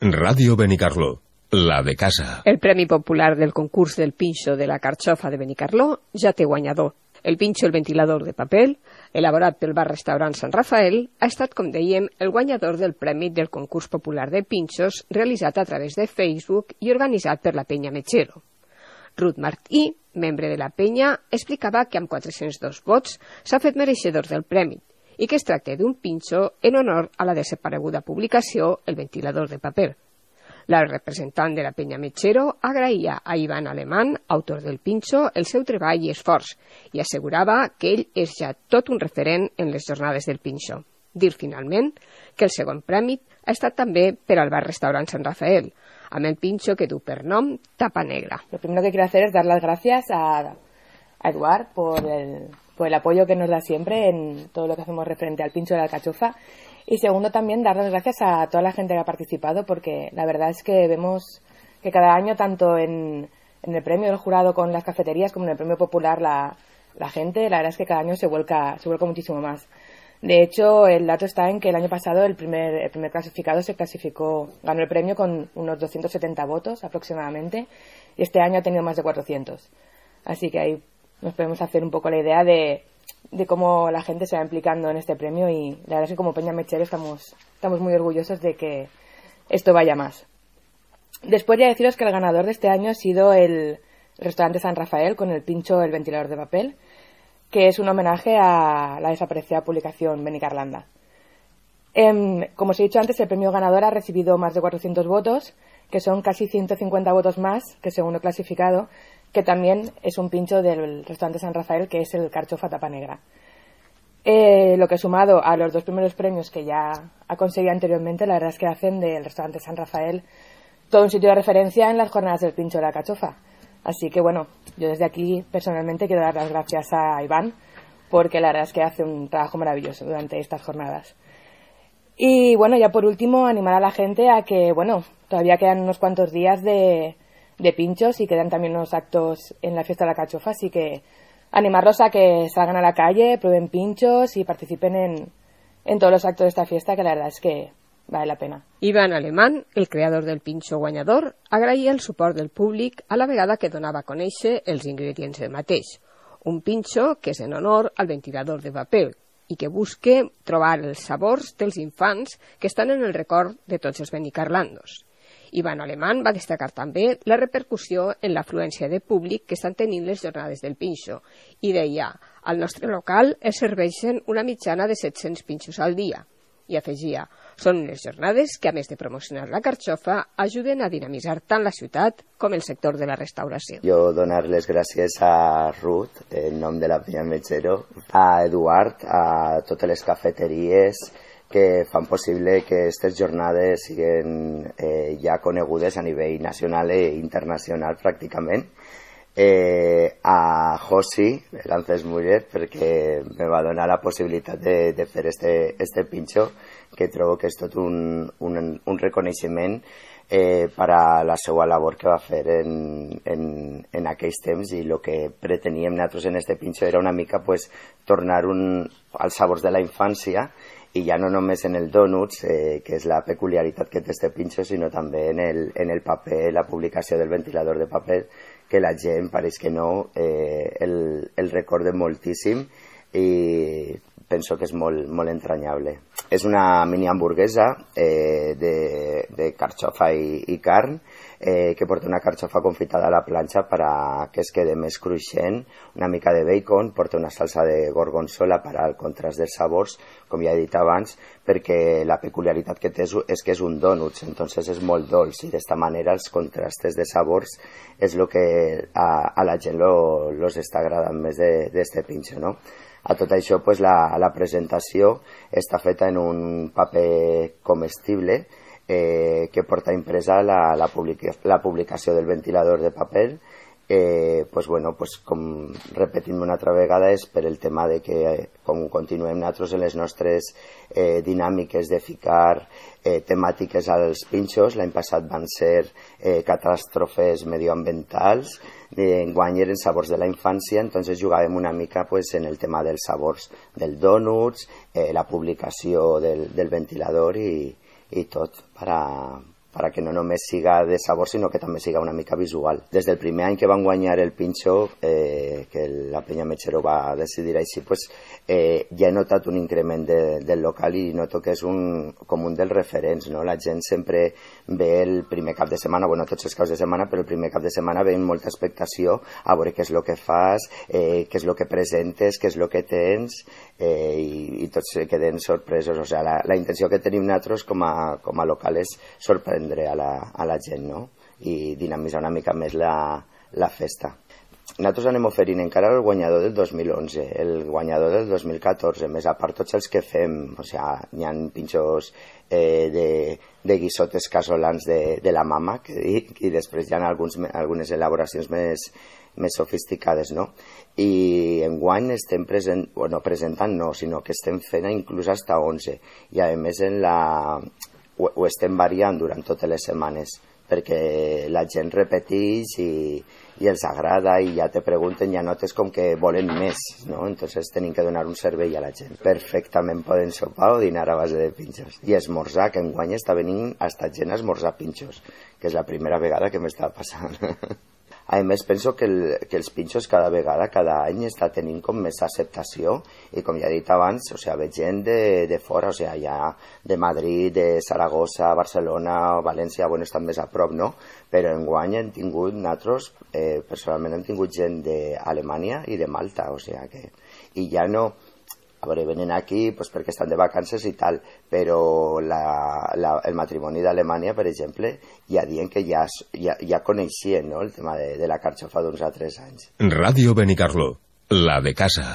Ràdio Benicarló, la de casa. El Premi Popular del concurs del pinxo de la Carxofa de Benicarló ja té guanyador. El pinxo El ventilador de paper, elaborat pel bar-restaurant Sant Rafael, ha estat, com dèiem, el guanyador del Premi del concurs popular de pinxos realitzat a través de Facebook i organitzat per la Penya Mechero. Ruth Martí, membre de la penya, explicava que amb 402 vots s'ha fet mereixedor del premi i que es tracta d'un pinxo en honor a la desapareguda publicació El ventilador de paper. La representant de la penya Mechero agraïa a Ivan Alemán, autor del pinxo, el seu treball i esforç i assegurava que ell és ja tot un referent en les jornades del pinxo. Dir finalment que el segon premi ha estat també per al bar-restaurant Sant Rafael, amb el pinxo que du per nom Tapa Negra. Lo primero que quiero hacer es dar las gracias a Eduard por el apoyo que nos da siempre en todo lo que hacemos referente al pincho de la alcachofa. Y segundo, también dar las gracias a toda la gente que ha participado, porque la verdad es que vemos que cada año, tanto en el premio del jurado con las cafeterías como en el premio popular, la gente, la verdad es que cada año se vuelca muchísimo más. De hecho, el dato está en que el año pasado el primer clasificado ganó el premio con unos 270 votos aproximadamente, y este año ha tenido más de 400. Así que ahí nos podemos hacer un poco la idea de cómo la gente se va implicando en este premio, y la verdad es que como Peña Mechero estamos muy orgullosos de que esto vaya más. Después ya deciros que el ganador de este año ha sido el restaurante San Rafael con el pincho El ventilador de papel, que es un homenaje a la desaparecida publicación Benicarlanda. Como os he dicho antes, el premio ganador ha recibido más de 400 votos, que son casi 150 votos más que segundo clasificado, que también es un pincho del restaurante San Rafael, que es el Carxofa Tapa Negra. Lo que sumado a los dos primeros premios que ya ha conseguido anteriormente, la verdad es que hacen del restaurante San Rafael todo un sitio de referencia en las jornadas del pincho de la alcachofa. Así que bueno, yo desde aquí personalmente quiero dar las gracias a Iván, porque la verdad es que hace un trabajo maravilloso durante estas jornadas. Y bueno, ya por último, animar a la gente a que, bueno, todavía quedan unos cuantos días de pinchos y quedan también unos actos en la fiesta de la alcachofa, así que animarlos a que salgan a la calle, prueben pinchos y participen en todos los actos de esta fiesta, que la verdad es que vale la pena. Ivan Alemán, el creador del pinxo guanyador, agraïa el suport del públic a la vegada que donava a conèixer els ingredients del mateix. Un pinxo que és en honor al ventilador de paper i que busca trobar els sabors dels infants que estan en el record de tots els benicarlandos. Ivan Alemán va destacar també la repercussió en l'afluència de públic que estan tenint les jornades del pinxo i deia, al nostre local es serveixen una mitjana de 700 pinxos al dia. I afegia, són unes jornades que, a més de promocionar la carxofa, ajuden a dinamitzar tant la ciutat com el sector de la restauració. Jo donar les gràcies a Ruth, en nom de la Penya Mechero, a Eduard, a totes les cafeteries que fan possible que aquestes jornades siguin ja conegudes a nivell nacional i internacional pràcticament. A Josi Lances Muller, perquè me va donar la possibilitat de fer este pinxo, que trobo que és tot un reconeixement per a la seva labor que va fer en aquells temps, i el que preteníem nosaltres en este pinxo era una mica tornar als sabors de la infància, i ja no només en el donuts, que és la peculiaritat que té este pinxo, sinó també en el paper, la publicació del ventilador de paper, que la gent, pareix que no, el recorda moltíssim i penso que és molt entranyable. És una mini hamburguesa de carxofa i carn, que porta una carxofa confitada a la planxa per a que es quede més cruixent, una mica de bacon, porta una salsa de gorgonzola per al contrast dels sabors, com ja he dit abans, perquè la peculiaritat que té és que és un dònuts, entonces és molt dolç, i d'esta manera els contrastes de sabors és el que a la gent los està agradant més d'este pinxo, no? A tot això, la presentació està feta en un paper comestible que porta impresa la publicació del ventilador de paper. Com repetint una altra vegada, és per el tema de que, com continuem nosaltres en les nostres dinàmiques de ficar temàtiques als pinxos, l'any passat van ser catàstrofes medioambientals, enguany eren sabors de la infància, entonces jugàvem una mica en el tema dels sabors del dònuts, la publicació del ventilador i tot per para que no només siga de sabor, sinó que també siga una mica visual. Des del primer any que van guanyar el Pinxo, que la Penya Mechero va decidir així, pues, ja he notat un increment del local i noto que és com un dels referents, no? La gent sempre ve el primer cap de setmana, bueno, tots els caps de setmana, però el primer cap de setmana ve amb molta expectació a veure què és el que fas, què és el que presentes, què és el que tens, i tots se queden sorpresos. O sigui, la intenció que tenim nosaltres com a local és sorprendre a la gent, no? I dinamitzar una mica més la festa. Nosaltres anem oferint encara el guanyador del 2011, el guanyador del 2014, més a part tots els que fem, o sigui, hi ha pinxos de guisotes casolans de la mama, que dic, i després hi ha algunes elaboracions més sofisticades, no? I enguany estem presentant no, sinó que estem fent inclús hasta 11, i a més ho estem variant durant totes les setmanes, perquè la gent repeteix i els agrada i ja te pregunten, ja notes com que volen més, no? Entonces tenim que donar un servei a la gent. Perfectament poden sopar o dinar a base de pinxos. I esmorzar, que enguany està venint hasta gent a esmorzar pinxos, que és la primera vegada que m'està passant. A més, penso que els pinxos cada any està tenint com més acceptació i com ja he dit abans, o sigui, ve gent de fora, o sigui, ja de Madrid, de Saragossa, Barcelona, València, bueno, estan més a prop, no? Però enguany hem tingut, nosaltres, personalment hem tingut gent d'Alemanya i de Malta, o sigui que... I ja no... A veure, venen aquí pues, perquè estan de vacances i tal, però el matrimoni d'Alemanya, per exemple, ja diuen que ja coneixien, no?, el tema de la carxofa d'uns altres anys. Ràdio Benicarló, la de casa.